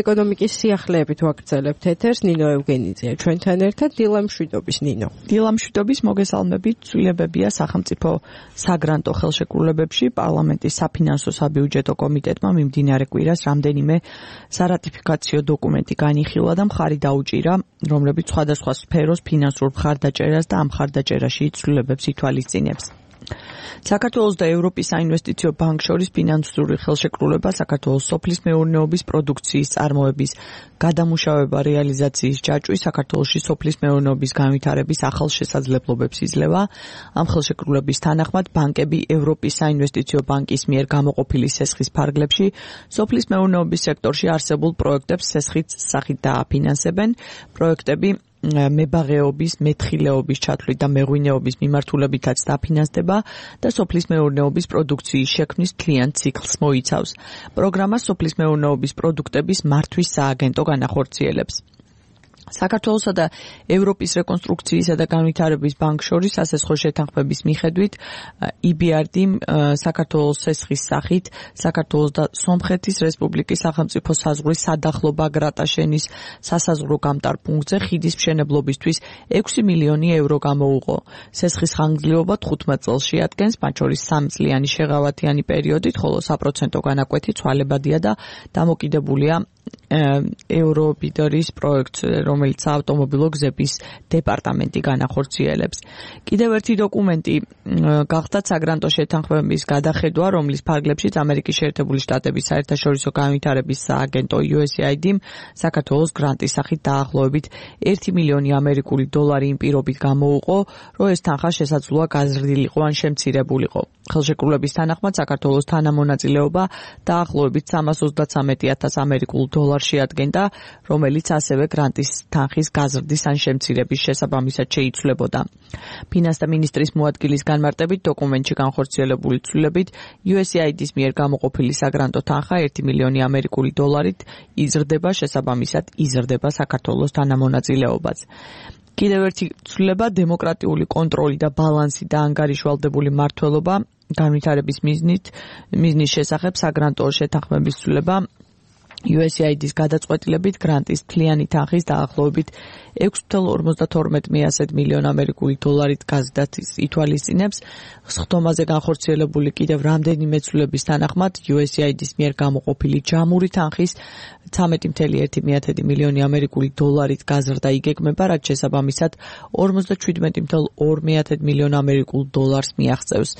ეკონომიკის სიახლეებით ვაგრძელებთ ეთერს. ნინო ევგენიძეა ჩვენთან ერთად. დილა მშვიდობის ნინო. დილა მშვიდობის, მოგესალმებით. ცვლილებებია სახელმწიფო საგრანტო ხელშეკრულებებში. პარლამენტის საფინანსო საბიუჯეტო კომიტეტმა მიმდინარე კვირას რამდენიმე სარატიფიკაციო დოკუმენტი განიხილა და მხარი დაუჭირა, რომლებიც სხვადასხვა სფეროს ფინანსურ მხარდაჭერას და ამ მხარდაჭერაში ცვლილებებს ითვალისწინებს. საქართველოს და ევროპის საინვესტიციო ბანკს შორის ფინანსური ხელშეკრულება საქართველოს სოფლის მეურნეობის პროდუქციის წარმოების გადამუშავება რეალიზაციის ჯაჭვი საქართველოში სოფლის მეურნეობის განვითარების ახალ შესაძლებლობებს იძლევა. ამ ხელშეკრულების თანახმად ბანკები ევროპის საინვესტიციო ბანკის მიერ გამოყოფილი სესხის ფარგლებში სოფლის მეურნეობის სექტორში არსებულ პროექტებს სესხის სახით დააფინანსებენ. პროექტები მებაღეობის, მეთხილეობის ჩათვლით და მეღვინეობის მიმართულებითაც დაფინანსდება და სოფლის მეურნეობის პროდუქციის შექმნის მთლიან ციკლს მოიცავს. პროგრამა სოფლის მეურნეობის პროდუქტების მართვის სააგენტო განახორციელებს. საქართველოსა და ევროპის რეკონსტრუქციისა და განვითარების ბანკს შორის სასესხო შეთანხმების მიხედვით EBRD-მ საქართველოს სესხის სახით საქართველოს და სომხეთის რესპუბლიკის სახელმწიფო საზღვრის სადახლობა გრატაშენის სასაზღვრო გამტარ პუნქტზე ხიდის მშენებლობისთვის 6 მილიონი ევრო გამოუყო. სესხის ხანგრძლივობა 15 წელს შეადგენს, მათ შორის 3 წლიანი შეღავათიანი პერიოდით, ხოლო საპროცენტო განაკვეთი ცვალებადია და დამოკიდებულია ევრობიდორის პროექტს, რომელიც ავტომობილო გზების დეპარტამენტი განახორციელებს. კიდევ ერთი დოკუმენტი გახდათ საგრანტო შეთანხმების გადახედვა, რომლის ფარგლებშიც ამერიკის შეერთებული შტატების საერთაშორისო განვითარების სააგენტო USAID-მ საქართველოს გრანტის სახით დაახლოებით 1 მილიონი ამერიკული დოლარი იმ პირობით გამოუყო, რომ ეს თანხა შესაძლოა გაზრდილიყო ან შემცირებულიყო. ხელშეკრულების თანახმად საქართველოს თანამონაწილეობა დაახლოებით 333,000 ამერიკულ დოლარს შეადგენდა, რომელიც ასევე გრანტის თანხის გაზრდის ან შემცირების შესაბამისად შეიცვლებოდა. ფინანსთა მინისტრის მოადგილის განმარტებით დოკუმენტში განხორციელებული ცვლილებით USAID-ის მიერ გამოყოფილი საგრანტო თანხა 1 მილიონი ამერიკული დოლარით იზრდება, შესაბამისად იზრდება საქართველოს თანამონაწილეობაც. კიდევ ერთი ცვლილება დემოკრატიული კონტროლი და ბალანსი და ანგარიშვალდებული მმართველობა განვითარების მიზნის შესახებ საგრანტო შეთანხმების ცვლილება USAID-ის გადაწყვეტილებით გრანტის მთლიანი თანხის დაახლოებით 6,52 მილიონ ამერიკული დოლარით გაზრდას ითვალისწინებს. სხდომაზე განხორციელებული კიდევ რამდენიმე ცვლილების თანახმად USAID-ის მიერ გამოყოფილი ჯამური თანხის 13,1 მილიონი ამერიკული დოლარით გაზრდა იგეგმება, რაც შესაბამისად 57,2 მილიონ ამერიკულ დოლარს მიაღწევს.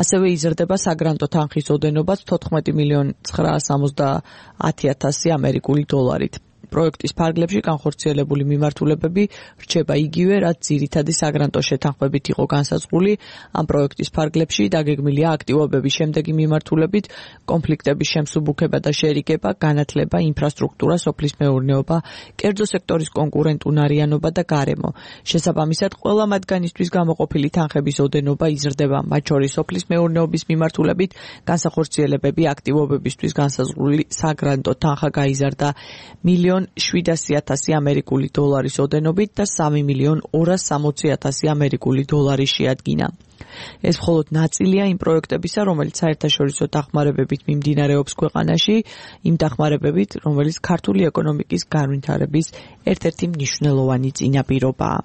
ასევე იზრდება საგრანტო თანხის ოდენობაც 14,970,000 ამერიკული დოლარით. პროექტის ფარგლებში განხორციელებული მიმართულებები რჩება იგივე, რაც ძირითადი საგრანტო შეთანხმებით იყო განსაზღვრული. ამ პროექტის ფარგლებში დაგეგმილია აქტივობების შემდეგი მიმართულებით: კონფლიქტების შემსუბუქება და შერიგება, განათლება, ინფრასტრუქტურა, სოფლის მეურნეობა, კერძო სექტორის კონკურენტუნარიანობა და გარემო. შესაბამისად, ყველა მათგანისთვის გამოყოფილი თანხების ოდენობა იზრდება, მათ შორის სოფლის მეურნეობის მიმართულებით განსახორციელებები აქტივობებისთვის განსაზღვრული საგრანტო თანხა გაიზარდა 1,700,000 ამერიკული დოლარის ოდენობით და 3,260,000 ამერიკული დოლარი შეადგინა. ეს მხოლოდ ნაწილია იმ პროექტებისა, რომელიც საერთაშორისო დახმარებებით მიმდინარეობს ქვეყანაში, იმ დახმარებებით, რომელიც ქართული ეკონომიკის განვითარების ერთ-ერთი მნიშვნელოვანი წინაპირობაა.